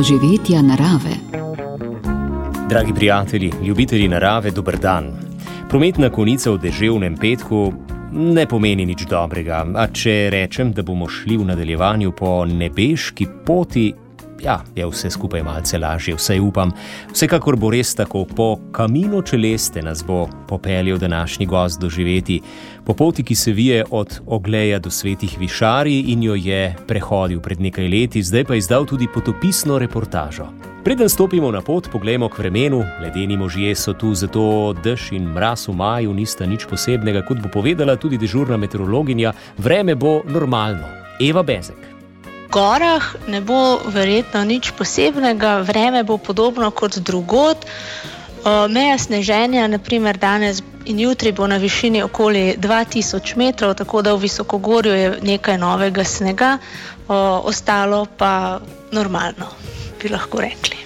doživetja narave. Dragi prijatelji, ljubitelji narave, dober dan. Prometna konica v deževnem petku ne pomeni nič dobrega, a če rečem, da bomo šli v nadaljevanju po nebeški poti, je vse skupaj malce lažje, vsaj upam. Vsekakor bo res tako, po Camino Celeste nas bo popeljal današnji gost doživeti, po poti, ki se vije od Ogleja do Svetih Višarij in jo je prehodil pred nekaj leti, zdaj pa izdal tudi potopisno reportažo. Preden stopimo na pot, poglejmo k vremenu. Ledeni možje so tu, zato dež in mraz v maju nista nič posebnega, kot bo povedala tudi dežurna meteorologinja, vreme bo normalno. Eva Bezek. V gorah ne bo verjetno nič posebnega, vreme bo podobno kot drugod. Meja sneženja, naprimer danes in jutri, bo na višini okoli 2000 metrov, tako da v visokogorju je nekaj novega snega, ostalo pa normalno, bi lahko rekli.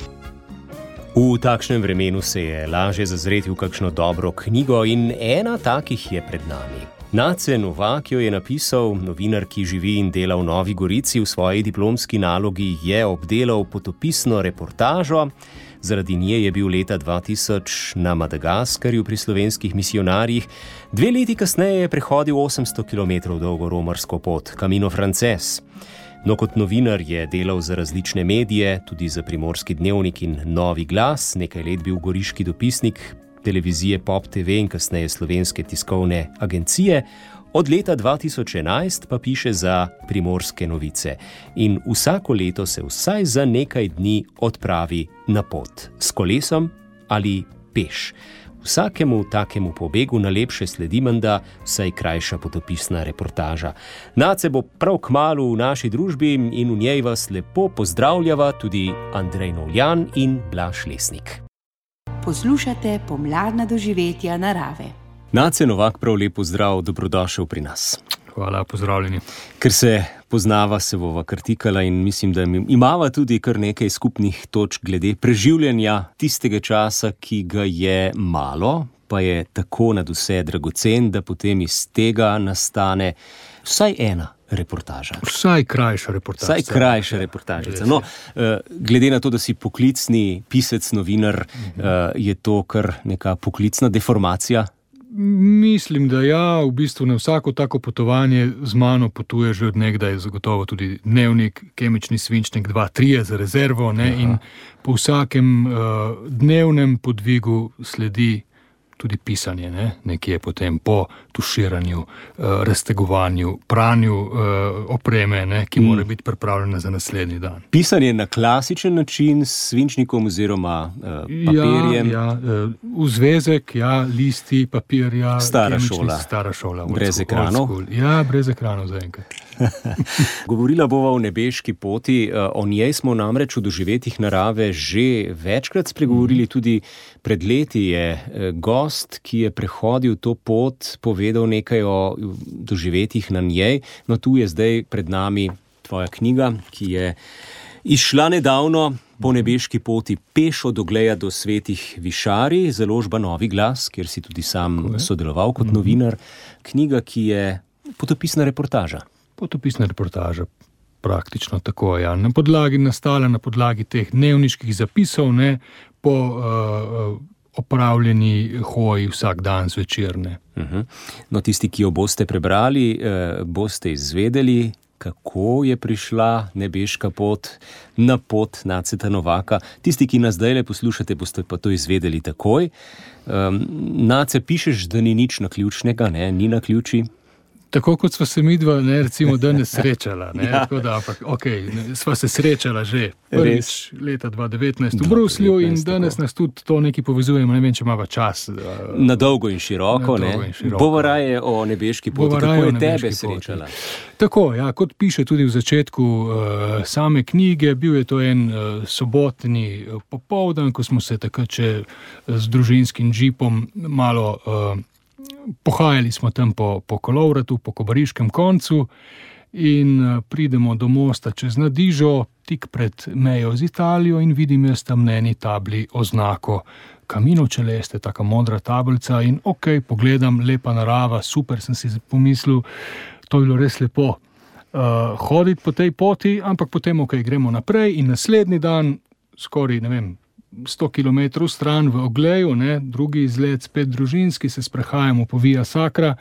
V takšnem vremenu se je lažje zazreti v kakšno dobro knjigo in ena takih je pred nami. Nace Novak jo je napisal, novinar, ki živi in dela v Novi Gorici. V svoji diplomski nalogi je obdelal potopisno reportažo. Zaradi nje je bil leta 2000 na Madagaskarju pri slovenskih misijonarjih. 2 leti kasneje je prehodil 800 km dolgo romarsko pot, Camino Frances. No, kot novinar je delal za različne medije, tudi za Primorski dnevnik in Novi glas, nekaj let bil goriški dopisnik televizije Pop TV in kasneje Slovenske tiskovne agencije. Od leta 2011 pa piše za Primorske novice in vsako leto se vsaj za nekaj dni odpravi na pot, s kolesom ali peš. Vsakemu takemu pobegu najlepše sledi menda vsaj krajša potopisna reportaža. Nace bo prav kmalu v naši družbi in v njej vas lepo pozdravljava tudi Andrej Novljan in Blaž Lesnik. Poslušate pomladna doživetja narave. Nace Novak, prav lep pozdrav, dobrodošel pri nas. Hvala, pozdravljeni. Ker se poznava, se bova kartikala in mislim, da imava tudi kar nekaj skupnih točk glede preživljanja tistega časa, ki ga je malo, pa je tako nadvse dragocen, da potem iz tega nastane vsaj ena reportaža. Vsaj krajša reportažica. No, glede na to, da si poklicni pisec, novinar, je to kar neka poklicna deformacija? Mislim, da ja, v bistvu na vsako tako potovanje z mano potuje že od nekdaj zagotovo tudi dnevnik, kemični svinčnik 2-3 za rezervo, ne, in po vsakem dnevnem podvigu sledi tudi pisanje, ne, nekje potem po tuširanju, raztegovanju, pranju opreme, ne, ki mora biti pripravljena za naslednji dan. Pisanje na klasičen način s svinčnikom oziroma papirjem? V zvezek, listi, papirja, stara šola. Brez ekranov? Brez ekranov zaenkrat. Govorila bova o nebeški poti, o njej smo namreč v doživetjih narave že večkrat spregovorili, tudi pred leti je gost, ki je prehodil to pot, povedal nekaj o doživetjih na njej. No, tu je zdaj pred nami tvoja knjiga, ki je izšla nedavno, Po nebeški poti, peš od Ogleja do Svetih Višarij, založba Novi glas, kjer si tudi sam sodeloval kot novinar. Knjiga, ki je potopisna reportaža. Potopisna reportaža, praktično tako, ja. Nastala na podlagi teh dnevniških zapisov, ne, po opravljeni hoji vsak dan zvečer, ne. No, tisti, ki jo boste prebrali, boste izvedeli, kako je prišla nebeška pot na pot Naceta Novaka. Tisti, ki nas zdajle poslušate, boste pa to izvedeli takoj. Nace, pišeš, da ni nič naključnega, ne, ni naključij. Tako kot sva se midva, ne, recimo, danes srečala, ne, tako da, sva se srečala že prvič leta 2019 v Bruslju in danes nas tudi to nekaj povezujemo, ne vem, če imava čas. Na dolgo in široko, ne. Bova raje o nebeški poti, kako je tebe srečala. Tako, ja, kot piše tudi v začetku same knjige, bil je to en sobotni popoldan, ko smo se takrat še z družinskim džipom malo pohajali smo tam po Kolovratu, po Kobariškem koncu in pridemo do mosta čez Nadižo, tik pred mejo z Italijo in vidim jaz tam na eni tabli oznako Camino Celeste, taka modra tablica in pogledam, lepa narava, super, sem si pomislil, to je bilo res lepo hoditi po tej poti, ampak potem gremo naprej in naslednji dan skoraj, 100 km stran v Ogleju, drugi izlet, spet družinski, se sprehajamo po Via Sacra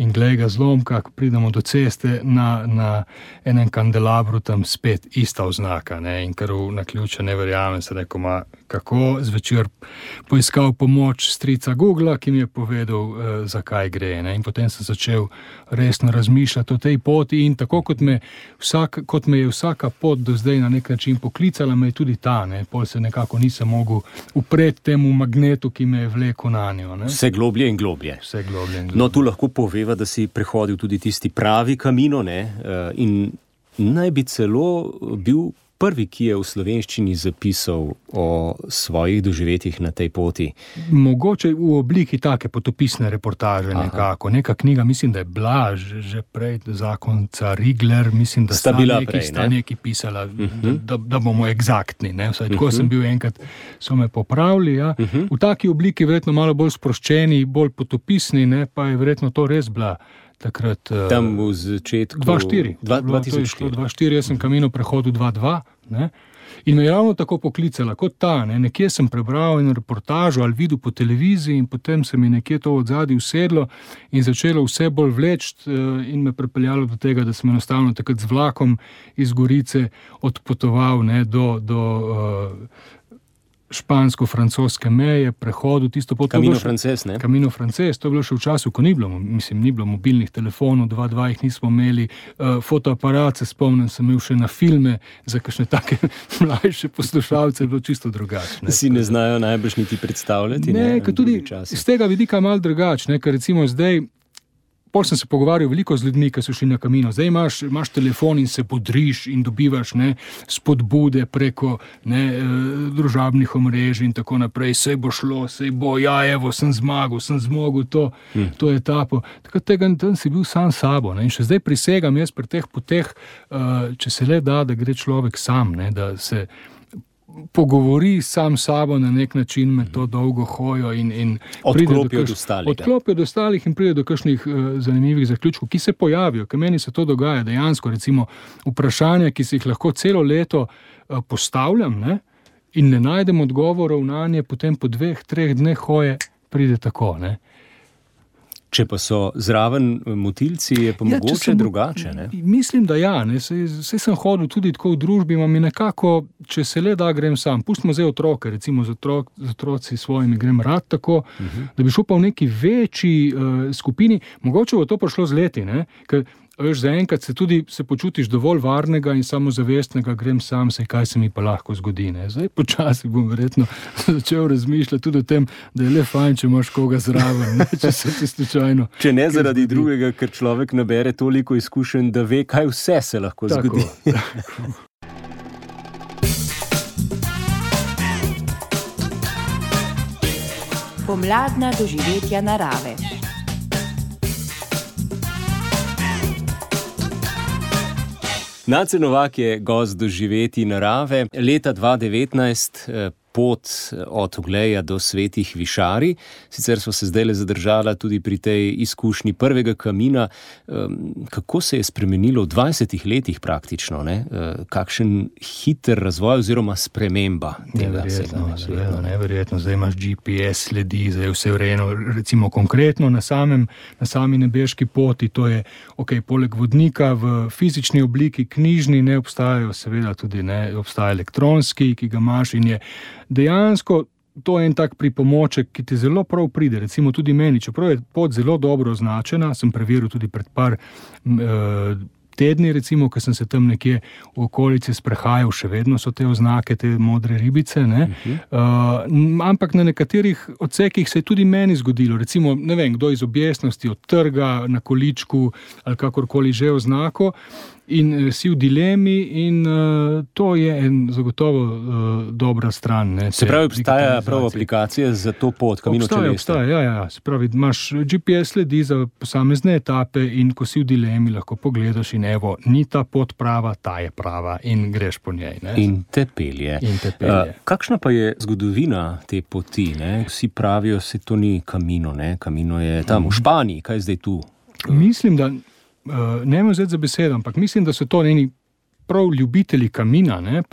in glej ga zlomka, ko pridemo do ceste na enem kandelabru, tam spet ista oznaka, in kar v naključje ne verjamem, se rekel, kako zvečer poiskal pomoč strica Googla, ki mi je povedal, zakaj gre, in potem sem začel resno razmišljati o tej poti in tako kot me je vsaka pot do zdaj na nek način poklicala, me je tudi ta, pol se nekako nisem mogel upreti temu magnetu, ki me je vlekel na njo. Vse globlje in globlje. No, tu lahko poveva, da si prehodil tudi tisti pravi Camino, in naj bi celo bil prvi, ki je v slovenščini zapisal o svojih doživetjih na tej poti. Mogoče v obliki take potopisne reportaže nekako. Neka knjiga, mislim, da je bila že prej, zakonca Rigler, mislim, da sta neki pisala, da bomo egzaktni. Vsaj tako sem bil enkrat, so me popravili. Ja. V taki obliki verjetno malo bolj sproščeni, bolj potopisni, pa je verjetno to res bila takrat. Tam v začetku 2004, jaz sem Camino prehodil 2.2, in me je ravno tako poklicala kot ta, nekje sem prebral eno reportažo ali videl po televiziji in potem se mi nekje to odzadaj usedlo in začelo vse bolj vleči in me pripeljalo do tega, da sem enostavno takrat z vlakom iz Gorice odpotoval do špansko-francoske meje, prehodu, tisto pot. Camino Frances, ne? Camino Frances, to je bilo še v času, ko ni bilo mobilnih telefonov, 2.2 jih nismo imeli, fotoaparat, se spomnim, sem imel še na filme, za kakšne take mlajše poslušalce, je bilo čisto drugače. Si ne znajo najbrž niti predstavljati? Ne, ker tudi iz tega vidika malo drugače, ker recimo zdaj, pol sem se pogovarjal veliko z ljudmi, ki so šli na Camino. Zdaj imaš telefon in se bodriš in dobivaš spodbude preko družabnih omrežij in tako naprej. Sej bo šlo, sej bo, evo, sem zmagal, sem zmogel to etapo. Tako tega tam si bil sam sabo. In še zdaj prisegam jaz pri teh poteh, če se le da gre človek sam, da se pogovori sam sabo na nek način med to dolgo hojo in odklopi od ostalih in pride do kakšnih zanimivih zaključkov, ki se pojavijo, ker meni se to dogaja dejansko, recimo vprašanja, ki si jih lahko celo leto postavljam, in ne najdem odgovorov na nje, potem po 2-3 dneh hoje pride tako, Če pa so zraven motilci, je pa mogoče drugače, ne? Mislim, da ja, saj sem hodil tudi tako v družbi, imam nekako, če se le da, grem sam. Pustimo zdaj otroke, recimo z otroci svojimi grem rad tako, da bi šel pa v neki večji skupini, mogoče bo to prišlo z leti, ker veš, zaenkrat se počutiš dovolj varnega in samozavestnega, grem sam, kaj se mi pa lahko zgodi. Zdaj počasi bom verjetno začel razmišljati tudi o tem, da je le fajn, če imaš koga zraven, če se ti slučajno. Če ne zaradi drugega, ker človek nabere toliko izkušenj, da ve, kaj vse se lahko zgodi. Pomladna doživetja narave. Nace Novak je gost doživetij narave. Leta 2019 pot od Ogleja do Svetih Višarij. Sicer smo se zdaj zadržala tudi pri tej izkušnji prvega Camina. Kako se je spremenilo v 20 letih praktično? Kakšen hiter razvoj oziroma sprememba tega? Neverjetno. Zdaj imaš GPS sledi, zdaj je vse vrejeno. Recimo konkretno na sami nebeški poti, to je, poleg vodnika v fizični obliki, knjižni, ne obstajajo, seveda tudi obstaja elektronski, ki ga imaš in je dejansko to je en tak pripomoček, ki ti zelo prav pride, recimo tudi meni, čeprav je pot zelo dobro označena, sem preveril tudi pred par tedni, recimo, ko sem se tam nekje v okolici sprehajal, še vedno so te oznake, te modre ribice, ampak na nekaterih odsekih se je tudi meni zgodilo, recimo, ne vem, kdo iz objestnosti odtrga na količku ali kakorkoli že oznako, in si v dilemi in to je zagotovo dobra stran. Se pravi, obstaja prav aplikacija za to pot, Camino Celeste? Obstaja, ja. Se pravi, imaš GPS sledi za posamezne etape in ko si v dilemi, lahko pogledaš in evo, ni ta pot prava, ta je prava in greš po njej. In te pelje. Kakšna pa je zgodovina te poti? Vsi pravijo, se to ni Camino, Camino je tam v Španiji, kaj je zdaj tu? Mislim, da ne vem vzeti za besedo, ampak mislim, da so to njeni prav ljubitelji kamina,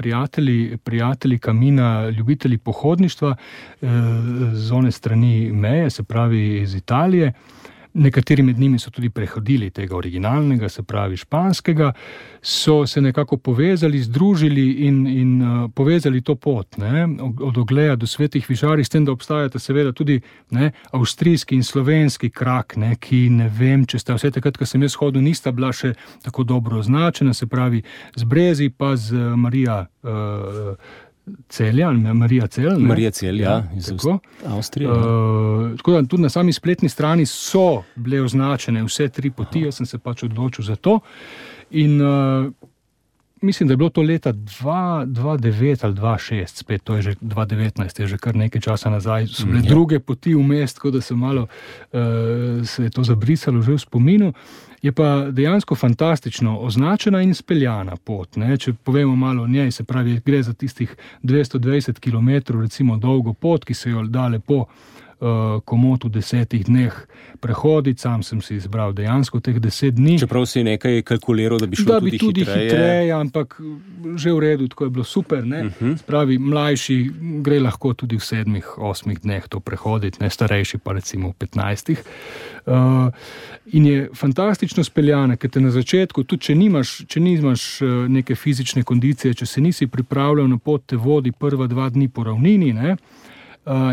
prijatelji kamina, ljubitelji pohodništva z one strani meje, se pravi iz Italije. Nekateri med njimi so tudi prehodili tega originalnega, se pravi španskega, so se nekako povezali, združili in povezali to pot, od Ogleja do Svetih višarij, s tem, da obstajata seveda tudi avstrijski in slovenski krak, ki ne vem, če sta vse takrat, ko sem jaz hodil, nista bila še tako dobro označena, se pravi z Brezi pa z Marija Marija Celj, iz Avstrije. Tako da tudi na sami spletni strani so bile označene vse 3 poti, jaz sem se pač odločil za to. In mislim, da je bilo to leta 2009 ali 2006, spet to je že 2019, je že kar nekaj časa nazaj, so bile druge poti vmes, tako da se malo se je to zabrisalo že v spominu. Je pa dejansko fantastično označena in speljana pot. Če povemo malo o njej, se pravi, gre za tistih 220 km recimo dolgo pot, ki se jo da lepo komot v 10 dneh prehoditi. Sam sem si izbral dejansko teh 10 dni. Čeprav si nekaj kalkuliral, da bi šlo tudi hitreje, ampak že v redu, tako je bilo super. Spravi, mlajši gre lahko tudi v 7-8 dneh to prehoditi, starejši pa recimo v 15. In je fantastično speljana, ker te na začetku, tudi če nimaš neke fizične kondicije, če se nisi pripravljal na pot, te vodi prva 2 dni po ravnini,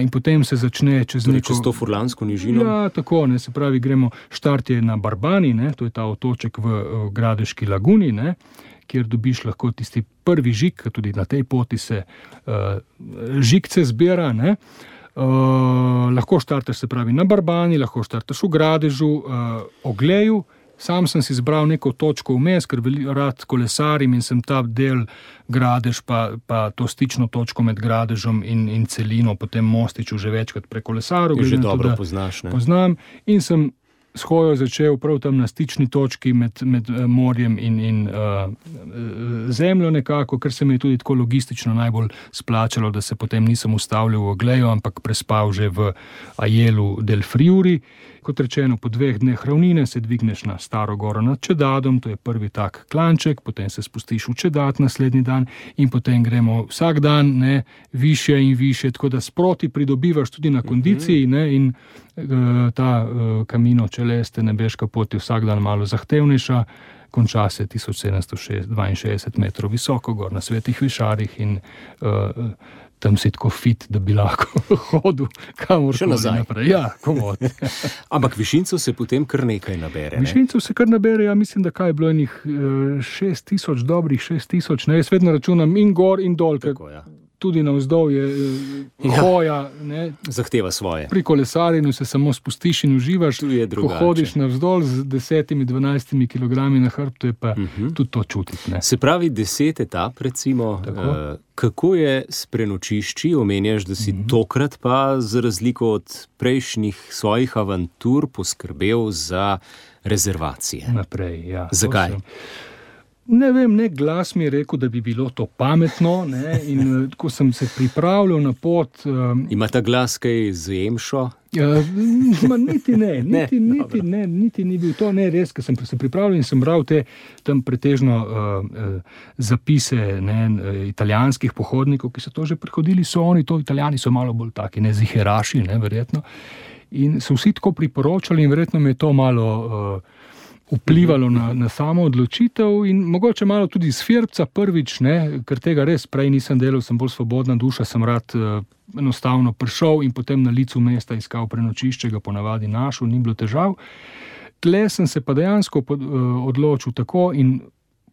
in potem se začne čez to furlansko nižino. Ja, tako, se pravi, štart je na Barbani, to je ta otoček v Gradeški laguni, kjer dobiš lahko tisti prvi žig, tudi na tej poti se žigce zbira, lahko štartaš, se pravi, na Barbani, lahko štartaš v Gradežu, Ogleju. Sam sem si izbral neko točko vmes, ker rad kolesarim in sem ta del Gradež pa to stično točko med Gradežom in celino, potem Mostiču že večkrat prekolesaril. Že dobro poznaš, Poznam in sem s hojo začel prav tam na stični točki med morjem in zemljo nekako, ker se mi je tudi tako logistično najbolj splačalo, da se potem nisem ustavljal v Ogleju, ampak prespal že v Aielu del Friuli. Kot rečeno, po 2 dneh ravnine se dvigneš na Staro goro nad Čedadom, to je prvi tak klanček, potem se spustiš v Čedad naslednji dan in potem gremo vsak dan više in više, tako da sproti pridobivaš tudi na kondiciji in ta Camino Celeste, nebeška pot je vsak dan malo zahtevnejša, konča se 1762 metrov visoko gor na Svetih višarjih in tam si tako fit, da bi lahko hodil kamorkoli naprej. Ja, komod. Ampak višincev se potem kar nekaj nabere. Višincev se kar nabere, ja, mislim, da kaj je bilo enih 6000, dobrih 6000. Jaz vedno računam in gor in dol, tudi navzdol je hoja. Zahteva svoje. Pri kolesarjenju se samo spustiš in uživaš. Ko hodiš navzdol z 10-12 kilogrami na hrbtu, je pa tudi to čutiti. Se pravi 10 etap, recimo. Kako je s prenočišči? Omenjaš, da si tokrat pa za razliko od prejšnjih svojih avantur poskrbel za rezervacije. Naprej, ja. Zakaj? Ne vem, nek glas mi je rekel, da bi bilo to pametno, in ko sem se pripravljal na pot... Ima ta glas kaj z emšo? Niti ni bil to, res, ker sem se pripravljal in sem bral te tam pretežno zapise italijanskih pohodnikov, ki so to že prehodili, Italijani so malo bolj taki, ziheraši, verjetno, in so vsi tako priporočali in verjetno mi je to malo... vplivalo na samo odločitev in mogoče malo tudi iz Firbca prvič, ker tega res prej nisem delal, sem bolj svobodna duša, sem rad enostavno prišel in potem na licu mesta iskal prenočišče, ga ponavadi našel, ni bilo težav. Tle sem se pa dejansko odločil tako in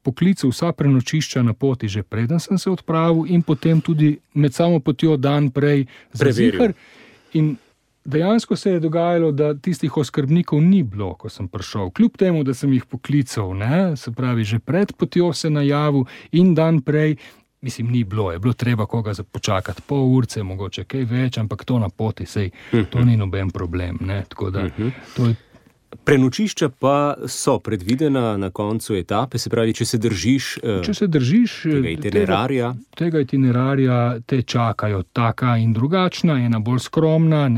poklical vsa prenočišča na poti že preden sem se odpravil in potem tudi med samo potjo dan prej za ziher. In dejansko se je dogajalo, da tistih oskrbnikov ni bilo, ko sem prišel. Kljub temu, da sem jih poklical, se pravi, že pred potjo se najavil in dan prej, mislim, ni bilo, je bilo treba koga počakati pol urce, mogoče kaj več, ampak to na poti, sej, to ni noben problem. Tako da to je Prenočišča pa so predvidena na koncu etape, se pravi, če se držiš tega itinerarja, te čakajo taka in drugačna, ena bolj skromna,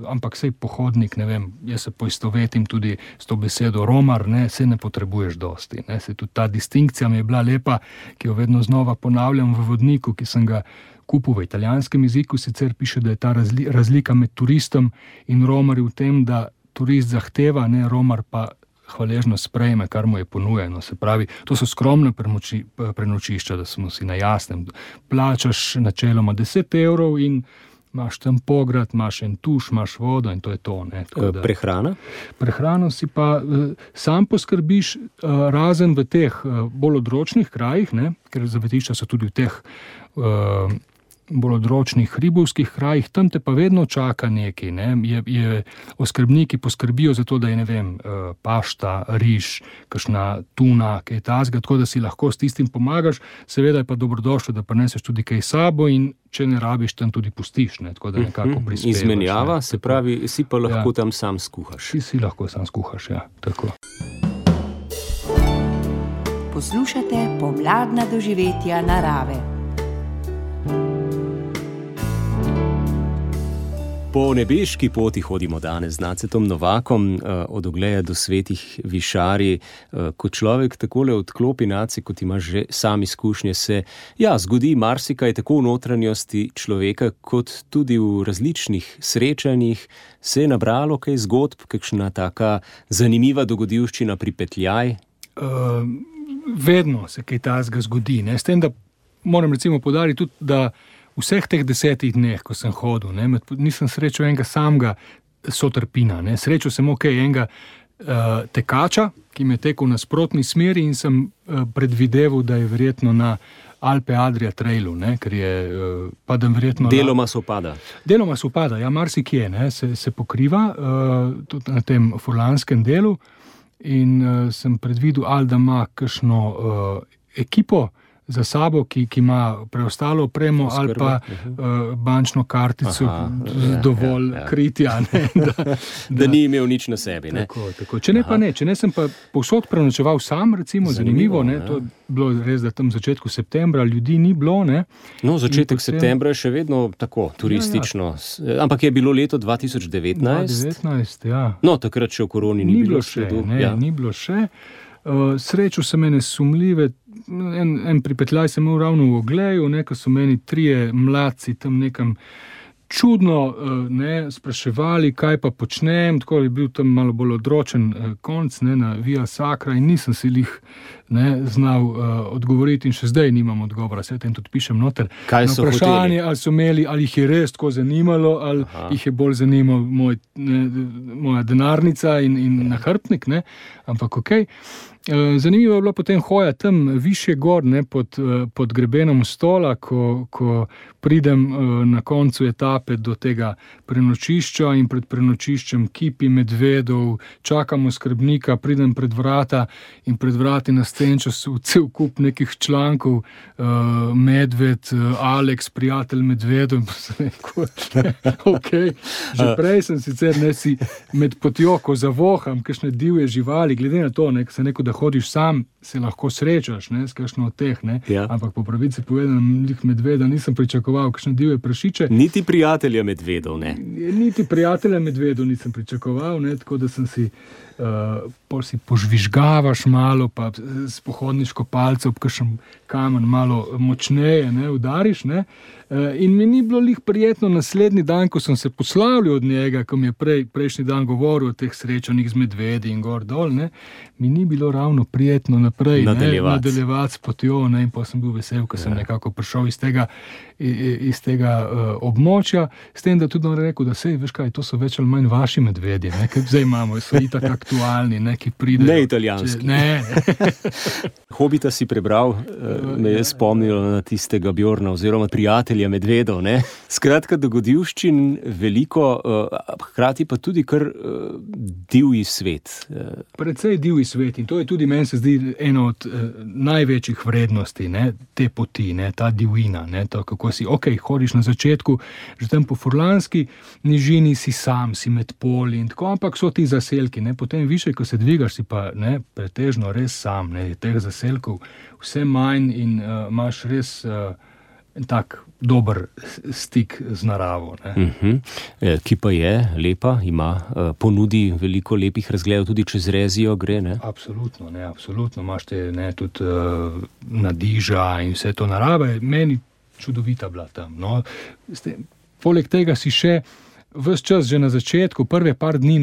ampak sej pohodnik, ne vem, jaz se poistovetim tudi s to besedo romar, se ne potrebuješ dosti. Se tudi ta distinkcija mi je bila lepa, ki jo vedno znova ponavljam v vodniku, ki sem ga kupil v italijanskem jeziku, sicer piše, da je ta razlika med turistom in romarji v tem, da turist zahteva, romar pa hvaležno sprejme, kar mu je ponujeno. Se pravi, to so skromne prenočišča, da smo si na jasnem. Plačaš načeloma 10 € in imaš tam pograd, imaš en tuš, imaš vodo in to je to. Prehrana? Prehrano si pa sam poskrbiš, razen v teh bolj odročnih krajih, ker zavetišča so tudi v teh bolj odročnih hribovskih krajih, tam te pa vedno čaka nekaj. Oskrbniki poskrbijo za to, da je, pašta, riž, kakšna tuna, kaj tasga, tako da si lahko s tistim pomagaš, seveda je pa dobrodošlo, da prineseš tudi kaj sabo in če ne rabiš, tam tudi pustiš, tako da nekako prispevaš. Izmenjava, se pravi, si pa lahko tam sam skuhaš. Si lahko sam skuhaš, tako. Poslušate pomladna doživetja narave. Po nebeški poti hodimo danes z Nacetom Novakom od Ogleja do Svetih Višarij. Ko človek takole odklopi, Naci, kot imaš že sam izkušnje, se zgodi marsikaj tako v notranjosti človeka, kot tudi v različnih srečanjih. Se je nabralo kaj zgodb, kakšna taka zanimiva dogodivščina pripetljaj? Vedno se kaj takega zgodi. S tem, da moram recimo poudariti tudi, da vseh teh 10 dneh, ko sem hodil, nisem srečal enega samega sotrpina. Srečal sem enega tekača, ki me je tekel na nasprotni smeri in sem predvideval, da je verjetno na Alpe Adria trailu, ker je padem verjetno... Deloma se upada. Deloma se upada, marsikje, se pokriva, tudi na tem furlanskem delu in sem predvidel, ali da ima kakšno ekipo za sabo, ki ima preostalo opremo ali pa bančno kartico dovolj kritja. Da ni imel nič na sebi. Tako. Če ne pa ne, če ne sem pa povsod prenočeval sam, recimo, zanimivo, to je bilo res, da tam v začetku septembra ljudi ni bilo. Začetek septembra je še vedno tako turistično, ampak je bilo leto 2019. 2019, takrat še o koroni ni bilo še. Ni bilo še. Srečal sem ene sumljive, en pripetljaj sem imel ravno v Ogleju, ko so meni 3 mladci tam nekam čudno spraševali, kaj pa počnem, tako je bil tam malo bolj odročen konc na Via Sacra in nisem si lih znal odgovoriti in še zdaj nimam odgovora, se tem tudi pišem noter. Kaj so vprašanje, ali so imeli, ali jih je res tako zanimalo, ali jih je bolj zanimal moja denarnica in nahrbtnik, ampak okej. Zanimivo je bila potem hoja tam višje gor, pod grebenom Stola, ko pridem na koncu etape do tega prenočišča in pred prenočiščem kipi medvedov, čakamo skrbnika, pridem pred vrata in pred vrati na stenčo cel kup nekih člankov, medved, Alex, prijatelj medvedov, in pa sem rekel, že prej sem sicer si med potjo, ko zavoham kakšne divje živali, glede na to, se neko, da hodiš sam, se lahko srečaš s kakšno od teh, ampak po pravici povedanem medveda nisem pričakoval, kakšne divje prašiče. Niti prijatelja medvedov, Niti prijatelja medvedov nisem pričakoval, tako da sem si si požvižgavaš malo, pa s pohodniško palco ob kakšen kamen malo močneje udariš, in mi ni bilo lih prijetno naslednji dan, ko sem se poslavljal od njega, ko mi je prejšnji dan govoril o teh srečanjih z medvedi in gor dol, mi ni bilo ravno prijetno naprej nadaljevati s potjo, in pa sem bil vesel, ko sem nekako prišel iz tega območja, s tem, da tudi on rekel, da veš kaj, to so več ali manj vaši medvedje, ker zdaj imamo, so itak aktualni, ne, ki pridejo. Ne italijanski. Ne. Hobita si prebral, me je spomnilo na tistega Bjorna oziroma prijatelja medvedov. Ne? Skratka, dogodivščin veliko, hkrati pa tudi kar divji svet. Precej divji svet in to je tudi, meni se zdi, ena od največjih vrednosti, ne, te poti, ne, ta divjina, ne, to, kako si, hodiš na začetku, že tam po furlanski nižini si sam, si med poli in tako, ampak so ti zaselki, ne, potem više, ko se dvigaš, si pa, ne, pretežno res sam, ne, teh zaselkov vse manj in imaš res tak dober stik z naravo. Ne. Ki pa je lepa, ima, ponudi veliko lepih razgledov, tudi čez Rezijo gre, ne? Absolutno, ne, absolutno. Imaš te, ne, tudi Nadiža in vse to narave. Meni čudovita bila tam. No. Poleg tega si še ves čas, že na začetku, prve par dni,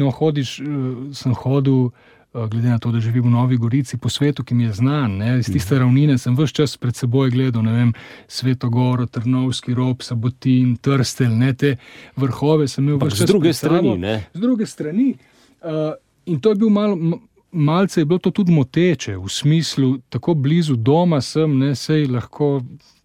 sem hodil, glede na to, da živim v Novi Gorici, po svetu, ki mi je znan, ne, iz tiste ravnine sem ves čas pred seboj gledal, ne vem, Svetogoro, Trnovski rob, Sabotin, Trstelj, ne, te vrhove sem imel ves čas. Z druge strani, ne? Z druge strani. In to je bil malce je bilo to tudi moteče, v smislu, tako blizu doma sem, ne, sej lahko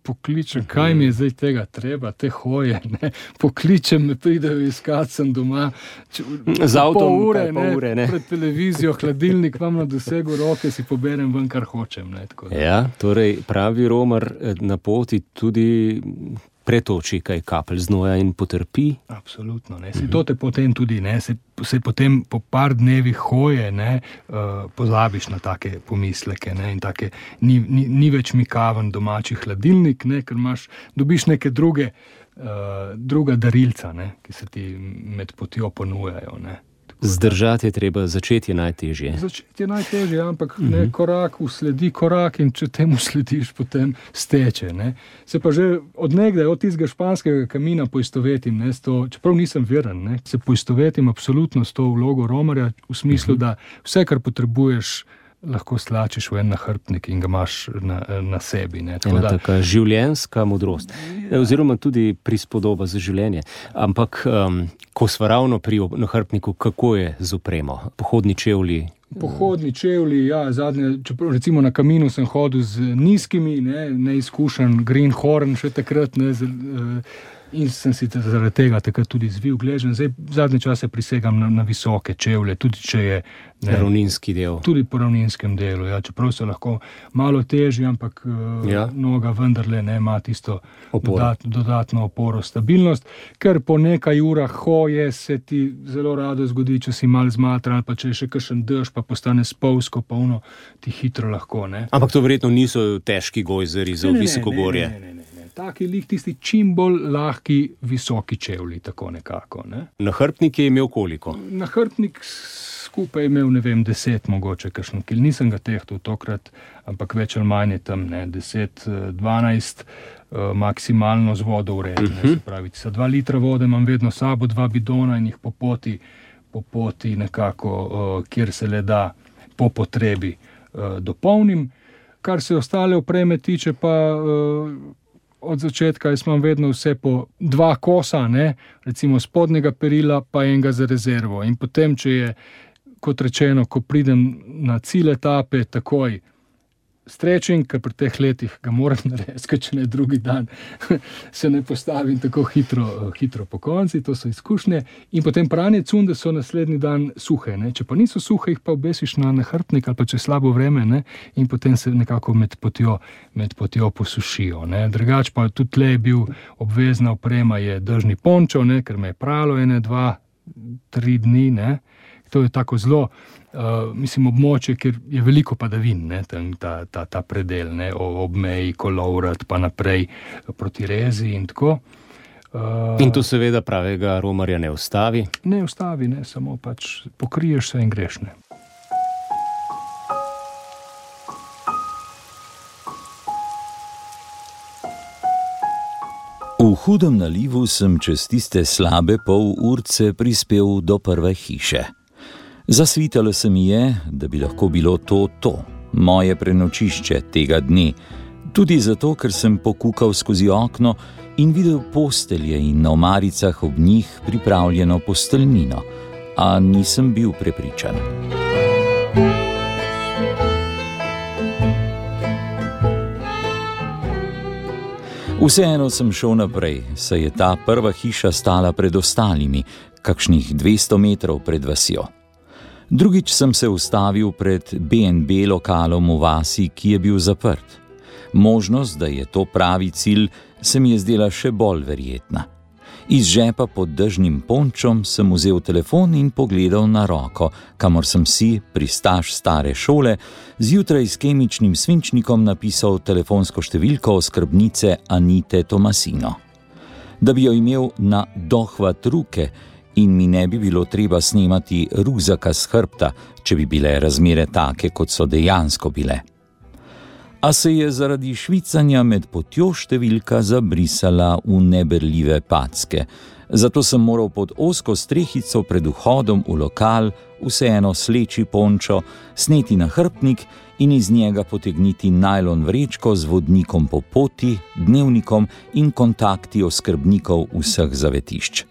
pokličem, kaj mi je zdaj tega treba, te hoje, ne, pokličem, me pridejo iskat, sem doma, z avtom, pol ure, ne, pred televizijo, hladilnik imam na dosegu roke, si poberem ven, kar hočem. Ne, tako da. Ja, torej pravi Romar na poti tudi pretoči kaj kapelj znoja in potrpi. Absolutno, ne. To te potem tudi, ne, se potem po par dnevih hoje, ne, pozabiš na take pomisleke, ne, in take, ni več mikaven domači hladilnik, ne, ker dobiš neke druga darilca, ne, ki se ti med potjo ponujajo, ne. Zdržati je treba, začeti je najtežje. Začeti je najtežje, ampak ne, korak usledi korak in če temu slediš, potem steče. Ne. Se pa že odnegdaj, od tistega španskega kamina poistovetim, ne, čeprav nisem veren, ne, se poistovetim absolutno s to vlogo Romarja, v smislu, da vse, kar potrebuješ, lahko stlačiš v en nahrbtnik in ga imaš na sebi. Ne. Ena taka življenjska modrost, oziroma tudi prispodoba za življenje. Ampak ko sva ravno pri nahrbtniku, kako je z opremo? Pohodni čevlji? Pohodni čevlji, ja, zadnje, čeprav recimo na kaminu sem hodil z nizkimi, neizkušen Greenhorn še takrat, ne, in sem si zaradi tega takrat tudi zvil gležen. Zdaj zadnje čase prisegam na visoke čevlje, tudi če je ravninski del. Tudi po ravninskem delu, ja, čeprav so lahko malo težji, ampak noga vendarle ne ima tisto dodatno oporo, stabilnost, ker po nekaj urah hoje se ti zelo rado zgodi, če si mal zmatran, pa če je še kakšen dež, pa postane spolzko, pa ono ti hitro lahko, ne. Ampak to verjetno niso težki gojzeri za visokogorje. Ne. Taki lik, tisti čim bolj lahki, visoki čevlji, tako nekako. Ne? Nahrbtnik je imel koliko? Nahrbtnik skupaj je imel, 10 mogoče, kakšno kil. Nisem ga tehtal tokrat, ampak več ali manj je tam, 10, 12, maksimalno z vodo ured. Se pravi, sa 2 litra vode imam vedno sabo, 2 bidona in jih po poti nekako, kjer se le da, po potrebi dopolnim. Kar se ostale opreme tiče, pa od začetka jaz imam vedno vse po 2 kosa, ne, recimo spodnjega perila, pa enega za rezervo. In potem, če je, kot rečeno, ko pridem na cilj etape, takoj stretching, ker pri teh letih ga moram narediti, če ne drugi dan se ne postavim tako hitro po konci, to so izkušnje. In potem pranje cunde so naslednji dan suhe, ne. Če pa niso suhe, jih pa obesiš na nahrbtnik ali pa če je slabo vreme, ne, in potem se nekako med potjo posušijo. Ne. Drugač pa tudi tle je bil obvezna oprema, je dežni pončo, ne, ker me je pralo 1, 2, 3 dni, ne. To je tako zelo, območje, kjer je veliko padavin, ne, ta predel, ne, ob meji Kolovrat, pa naprej proti Rezi in tako. In to seveda pravega Romarja ne ustavi? Ne ustavi, ne, samo pač pokriješ se in greš, ne. V hudem nalivu sem čez tiste slabe pol urce prispel do prve hiše. Zasvitalo se mi je, da bi lahko bilo to, moje prenočišče tega dne, tudi zato, ker sem pokukal skozi okno in videl postelje in na omaricah ob njih pripravljeno posteljnino, a nisem bil prepričan. Vseeno sem šel naprej, saj je ta prva hiša stala pred ostalimi, kakšnih 200 metrov pred vasjo. Drugič sem se ustavil pred B&B lokalom v vasi, ki je bil zaprt. Možnost, da je to pravi cilj, se mi je zdela še bolj verjetna. Iz žepa pod dežnim pončom sem vzel telefon in pogledal na roko, kamor sem si, pristaš stare šole, zjutraj s kemičnim svinčnikom napisal telefonsko številko oskrbnice Anite Tomasino. Da bi jo imel na dohvat ruke in mi ne bi bilo treba snemati rukzaka s hrbta, če bi bile razmere take, kot so dejansko bile. A se je zaradi švicanja med potjo številka zabrisala v neberljive packe. Zato sem moral pod ozko strehico pred vhodom v lokal vseeno sleči pončo, sneti nahrbtnik in iz njega potegniti najlon vrečko z vodnikom po poti, dnevnikom in kontakti oskrbnikov vseh zavetišč.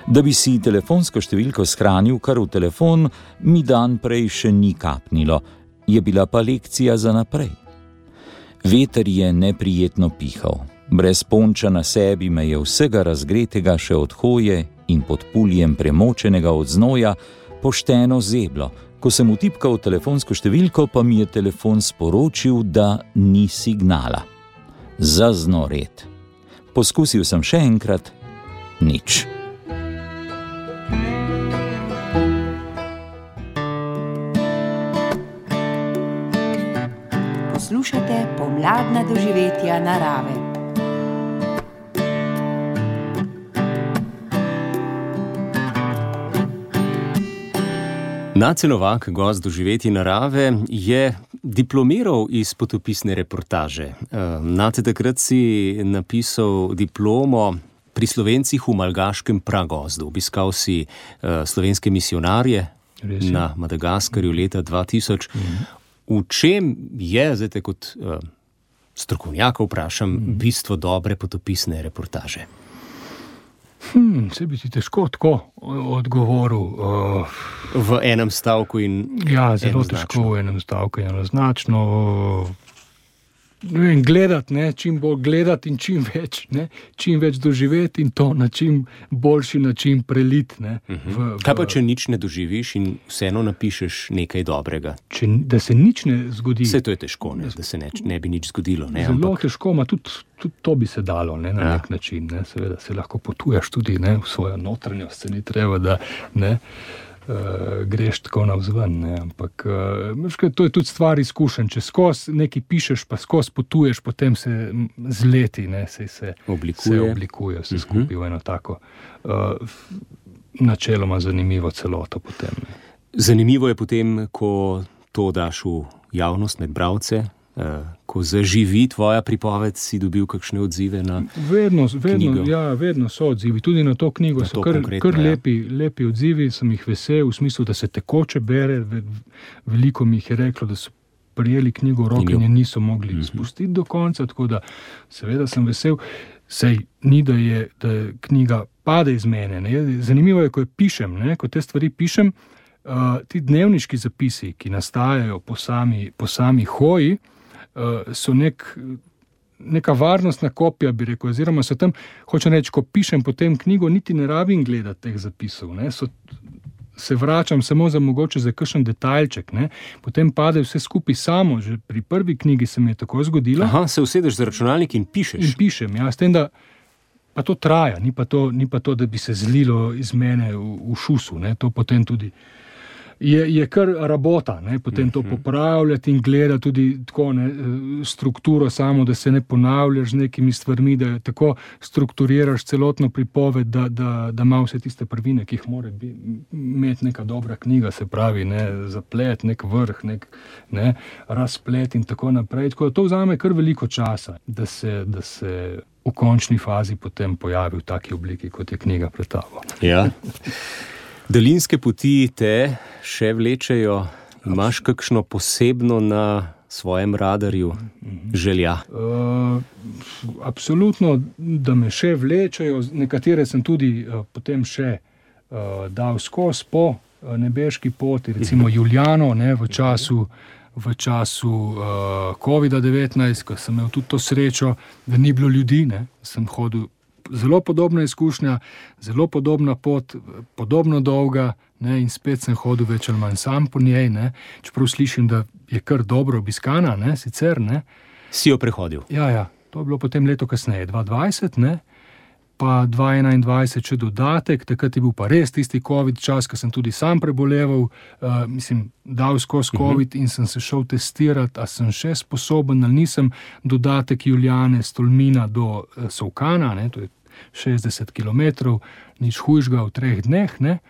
Da bi si telefonsko številko shranil kar v telefon, mi dan prej še ni kapnilo, je bila pa lekcija za naprej. Veter je neprijetno pihal. Brez ponča na sebi me je vsega razgretega še od hoje in pod puljem premočenega od znoja pošteno zeblo. Ko sem vtipkal telefonsko številko, pa mi je telefon sporočil, da ni signala. Zaznored. Poskusil sem še enkrat, nič. Poslušate pomladna doživetja narave. Nace Novak, gost doživetij narave, je diplomiral iz potopisne reportaže. Nace, takrat si napisal diplomo pri Slovencih v Malgaškem pragozdu. Obiskal si slovenske misionarje na Madagaskarju leta 2000. V čem je, zdaj te kot strokovnjaka vprašam, bistvo dobre potopisne reportaže? Se bi ti težko tako odgovoril. V enem stavku in ja, zelo težko v enem stavku in enoznačno. Gledati, čim bolj gledati in čim več doživeti in to na čim boljši način preliti. Kaj pa, če nič ne doživiš in vseeno napišeš nekaj dobrega? Da se nič ne zgodi. Vse to je težko, da se ne bi nič zgodilo. Zelo težko, tudi to bi se dalo na nek način. Seveda se lahko potuješ tudi v svojo notranjost, se ni treba, da greš tako navzven, ampak to je tudi stvar izkušenj. Če skozi nekaj pišeš, pa skozi potuješ, potem se z leti se oblikuje vse skupaj v eno tako načeloma zanimivo celoto potem. Zanimivo je potem, ko to daš v javnost med bralce, ko zaživi tvoja pripoved, si dobil kakšne odzive na knjigo? Vedno so odzivi. Tudi na to knjigo so kar lepi odzivi, sem jih vesel, v smislu, da se tekoče bere. Veliko mi jih je reklo, da so prijeli knjigo v roke in je niso mogli spustiti do konca, tako da seveda sem vesel. Sej ni, da knjiga pade iz mene. Zanimivo je, ko pišem, ko te stvari pišem, ti dnevniški zapisi, ki nastajajo po sami hoji, so neka varnostna kopija, bi rekel, oziroma so tam, hočem reči, ko pišem potem knjigo, niti ne rabim gledati teh zapisov, se vračam samo mogoče za kakšen detajlček, potem pade vse skupaj samo, že pri prvi knjigi se mi je tako zgodilo. Aha, se usedeš za računalnik in pišeš? In pišem, s tem, da pa to traja, ni pa to, da bi se zlilo iz mene v šusu, to potem tudi je kar rabota, potem to popravljati in gledati tudi tako, strukturo samo, da se ne ponavljaš z nekimi stvarmi, da tako strukturiraš celotno pripoved, da ima vse tiste prvine, ki jih mora imeti neka dobra knjiga, se pravi, zaplet, nek vrh, razplet in tako naprej. Tako da to vzame kar veliko časa, da se v končni fazi potem pojavi v taki obliki, kot je knjiga pred tabo. Ja. Daljinske poti te še vlečejo? Imaš kakšno posebno na svojem radarju želja? Absolutno, da me še vlečejo. Nekatere sem tudi potem še dal skozi po nebeški poti, recimo Juliano v v času COVID-19, ko sem imel tudi to srečo, da ni bilo ljudi, ne, sem hodil. Zelo podobna izkušnja, zelo podobna pot, podobno dolga, ne, in spet sem hodil več ali manj sam po njej, ne, čeprav slišim, da je kar dobro obiskana, ne, sicer, ne. Si jo prehodil? Ja, to je bilo potem leto kasneje, 2020, ne, pa 2021 še dodatek, takrat je bil pa res tisti COVID čas, ko sem tudi sam preboleval, dal skozi COVID in sem se šel testirati, a sem še sposoben ali nisem, dodatek Julijane z Tolmina do Solkana, ne, to je 60 km, nič hujšega v 3 dneh, ne,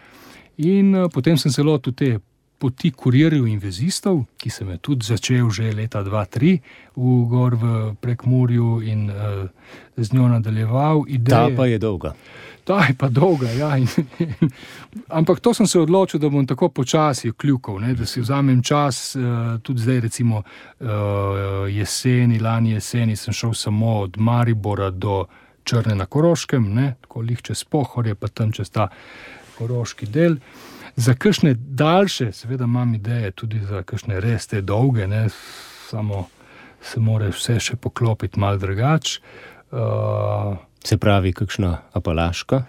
in potem sem se lotil te poti kurirjev in vezistov, ki sem je tudi začel že leta 2003 v Prekmurju in z njo nadaljeval. Ta pa je dolga. Ta je pa dolga, ja. Ampak to sem se odločil, da bom tako počasi kljukal, ne, da si vzamem čas, tudi zdaj recimo lani jeseni sem šel samo od Maribora do Črne na Koroškem, ne, tako lih čez Pohorje, pa tam čez ta koroški del. Za kakšne daljše, seveda imam ideje, tudi za kakšne res te dolge, ne, samo se mora vse še poklopiti malo drugače. Se pravi, kakšna Apalaška?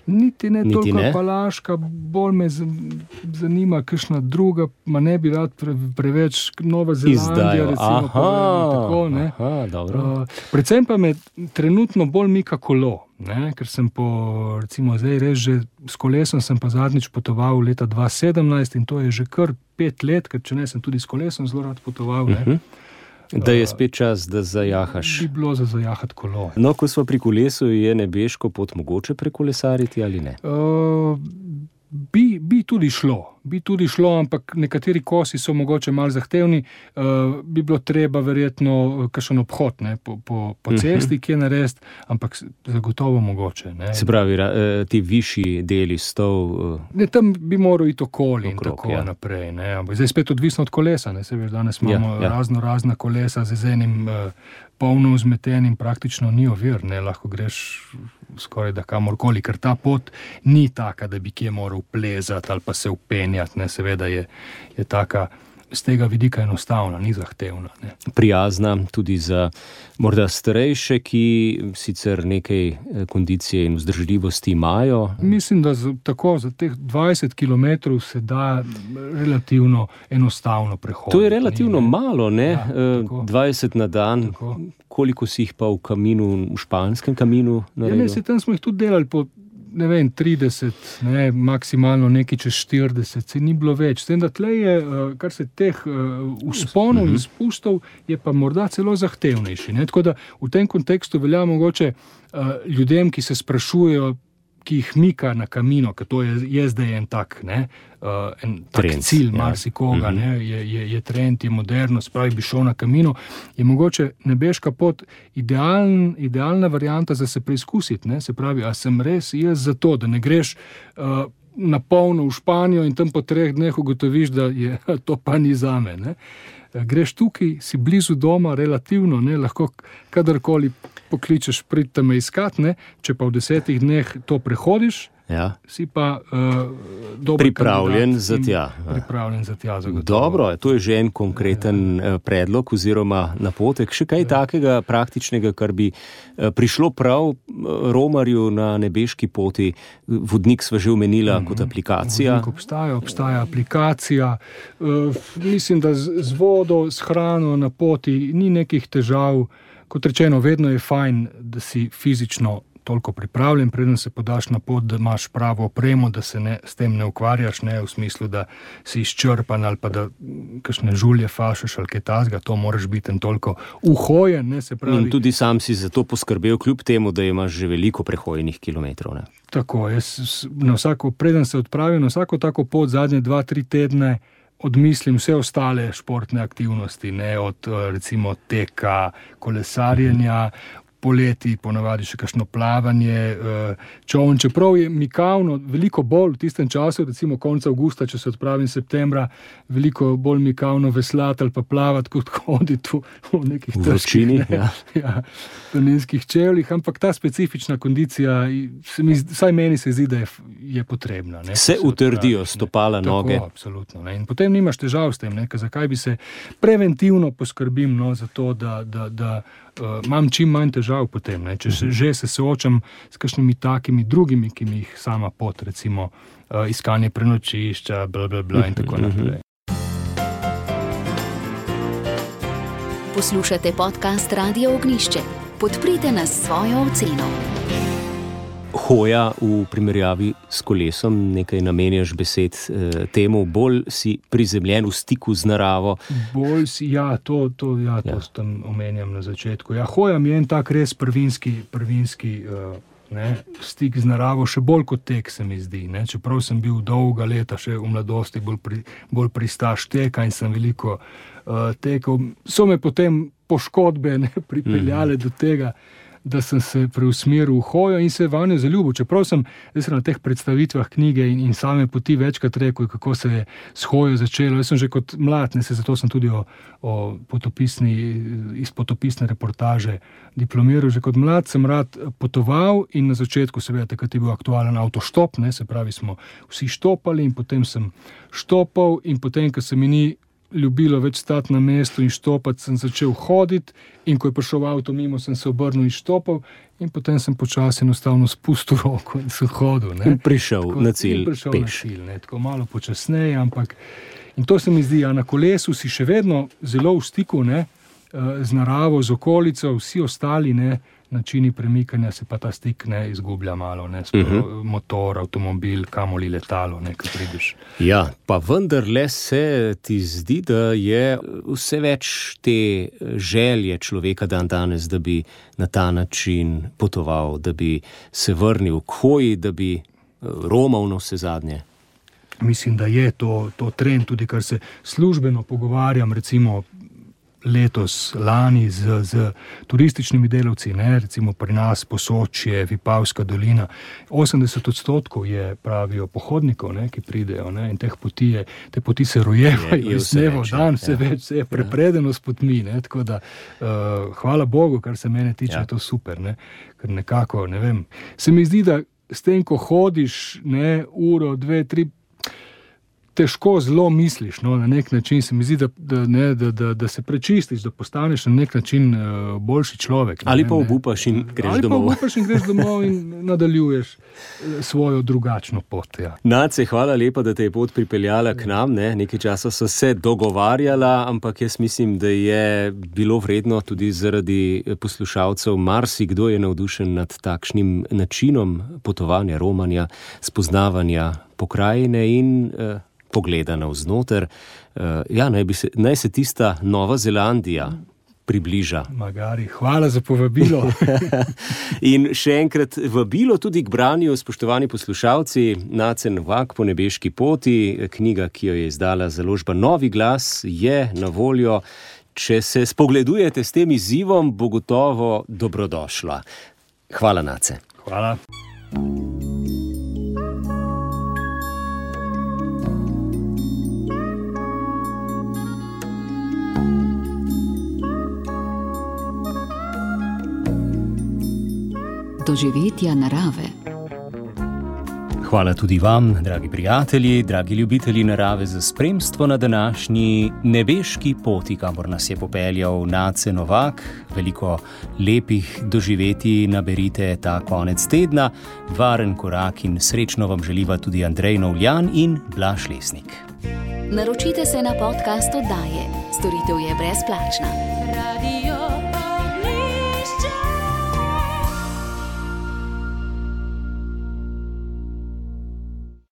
Niti ne toliko Apalaška, bolj me zanima kakšna druga, ma ne bi rad preveč Nova Zelandija, recimo. Tako, ne. Dobro. Predvsem pa me trenutno bolj mika kolo, ne, ker sem recimo zdaj res že s kolesom sem pa zadnjič potoval leta 2017 in to je že kar 5 let, ker če ne sem tudi s kolesom zelo rad potoval, ne. Da je spet čas, da zajahaš. Bi bilo za zajahati kolo. No, ko smo pri kolesu, je nebeško pot mogoče prekolesariti ali ne? Bi tudi šlo, ampak nekateri kosi so mogoče malo zahtevni, bi bilo treba verjetno kakšen obhod, ne, po cesti, ki je narediti, ampak zagotovo mogoče. Ne. Se pravi, ti višji deli stov... Ne, tam bi moral iti okoli in tako naprej. Ne. Zdaj spet odvisno od kolesa, ne, se veš, danes imamo razna kolesa z enim polno vzmetenim, praktično ni ovir, ne, lahko greš skoraj da kamorkoli, ker ta pot ni taka, da bi kje moral plezati ali pa se upenjati, ne, seveda je taka z tega vidika enostavna, ni zahtevna. Ne. Prijazna tudi za morda starejše, ki sicer nekaj kondicije in vzdržljivosti imajo. Mislim, da tako za teh 20 km se da relativno enostavno prehoditi. To je relativno malo, ne? Ja, 20 na dan. Tako. Koliko si jih pa v španskem kaminu naredil? Ja, tam smo jih tudi delali po 30, ne, maksimalno nekaj čez 40, se ni bilo več. S tem, da tle je, kar se teh vzponov in spustov, je pa morda celo zahtevnejši. Ne? Tako da v tem kontekstu velja mogoče ljudem, ki se sprašujejo, ki jih mika na kamino, ker to je zdaj en tak, ne, en tak cilj marsikoga, ne, je trend, je moderno, spravi bi šel na kamino, je mogoče nebeška pot idealna varianta za se preizkusiti, ne, se pravi, a sem res jaz za to, da ne greš na polno v Španijo in tam po 3 dneh ugotoviš, da je to pa ni zame, ne. Greš tukaj, si blizu doma, relativno, ne, lahko kadarkoli pokličeš, pridite me iskat, ne, če pa v 10 dneh to prehodiš, si pa dober pripravljen za tja. Pripravljen za tja, zagotovo. Dobro, to je že en konkreten predlog oziroma napotek. Še kaj takega praktičnega, kar bi prišlo prav romarju na nebeški poti? Vodnik sva že omenila kot aplikacija. Vodnik obstaja aplikacija. Mislim, da z vodo, s hrano na poti ni nekih težav. Kot rečeno, vedno je fajn, da si fizično toliko pripravljen, preden se podaš na pot, da imaš pravo opremo, da se s tem ne ukvarjaš, ne v smislu, da si izčrpan ali pa da kakšne žulje fašeš ali kaj takega, to moraš biti toliko uhojen, ne, se pravi. In tudi sam si za to poskrbel, kljub temu, da imaš že veliko prehojenih kilometrov, ne? Tako, preden se odpravim na vsako tako pot zadnje 2-3 tedne, odmislim vse ostale športne aktivnosti, ne, od recimo teka, kolesarjenja, poleti ponavadi še kakšno plavanje, čoln, čeprav je mikavno veliko bolj v tistem času, recimo konca avgusta, če se odpravim septembra, veliko bolj mikavno veslati ali pa plavati, kot hoditi v nekih vročini, planinskih čevljih, ampak ta specifična kondicija, vsaj meni se zdi, da je potrebna. Se utrdijo stopala, noge. Tako, absolutno. In potem nimaš težav s tem, zakaj bi se preventivno poskrbim za to, da imam čim manj težav potem, če že se soočam s kakšnimi takimi drugimi, ki mi jih sama pot, recimo iskanje prenočišča, in tako naprej. Poslušate podcast Radio Ognjišče. Podprite nas s svojo oceno. Hoja v primerjavi s kolesom, nekaj namenjaš besed temu, bolj si prizemljen v stiku z naravo. Bolj si, to tam omenjam na začetku. Hoja mi je en tak res prvinski stik z naravo, še bolj kot tek se mi zdi. Čeprav sem bil dolga leta še v mladosti bolj pristaš teka in sem veliko tekel. So me potem poškodbe pripeljale do tega, da sem se preusmeril v hojo in se vanjo zaljubil. Čeprav sem na teh predstavitvah knjige in same poti večkrat rekel, kako se je s hojo začelo. Jaz sem že kot mlad, zato sem tudi iz potopisne reportaže diplomiral. Že kot mlad sem rad potoval in na začetku seveda takrat je bil aktualen avtoštop, se pravi smo vsi štopali in potem sem štopal in potem, ko se mi ni ljubilo več stati na mestu in štopati, sem začel hoditi in ko je prišel avto mimo, sem se obrnil in štopal in potem sem počasi enostavno spustil roko in sem hodil. In prišel na cilj peš. Tako malo počasneje, ampak in to se mi zdi, na kolesu si še vedno zelo v stiku z naravo, z okolico, vsi ostali načini premikanja se pa ta stik izgublja malo, motor, avtomobil, kamoli letalo, ko prideš. Ja, pa vendarle se ti zdi, da je vse več te želje človeka danes, da bi na ta način potoval, da bi se vrnil k hoji, da bi romal na vse zadnje. Mislim, da je to trend, tudi kar se službeno pogovarjam, recimo letos, lani z turističnimi delavci, recimo pri nas Posočje, Vipavska dolina, 80% je, pravijo, pohodnikov, ki pridejo, in te poti se rojevajo iz dneva v dan, vse je prepredeno s potmi, tako da hvala Bogu, kar se mene tiče, je to super, ker nekako, se mi zdi, da s tem, ko hodiš, uro, 2, 3, težko zelo misliš, na nek način se mi zdi, da se prečistiš, da postaneš na nek način boljši človek. Ali pa obupaš in greš domov. Ali pa obupaš in greš domov in nadaljuješ svojo drugačno pot. Ja. Nace, hvala lepa, da te je pot pripeljala k nam. Nekaj časa so se dogovarjala, ampak jaz mislim, da je bilo vredno tudi zaradi poslušalcev. Marsikdo je navdušen nad takšnim načinom potovanja, romanja, spoznavanja pokrajine in pogleda navznoter. Naj se tista Nova Zelandija približa. Magari, hvala za povabilo. In še enkrat vabilo tudi k branju, spoštovani poslušalci, Nace Novak po nebeški poti, knjiga, ki jo je izdala založba Novi glas, je na voljo. Če se spogledujete s tem izzivom, bo gotovo dobrodošla. Hvala, Nace. Hvala. Doživetja narave. Hvala tudi vam, dragi prijatelji, dragi ljubitelji narave, za spremstvo na današnji nebeški poti, kamor nas je popeljal Nace Novak. Veliko lepih doživetij naberite ta konec tedna. Varen korak in srečno vam želiva tudi Andrej Novljan in Blaž Lesnik. Naročite se na podcast oddaje. Storitev je brezplačna. Radio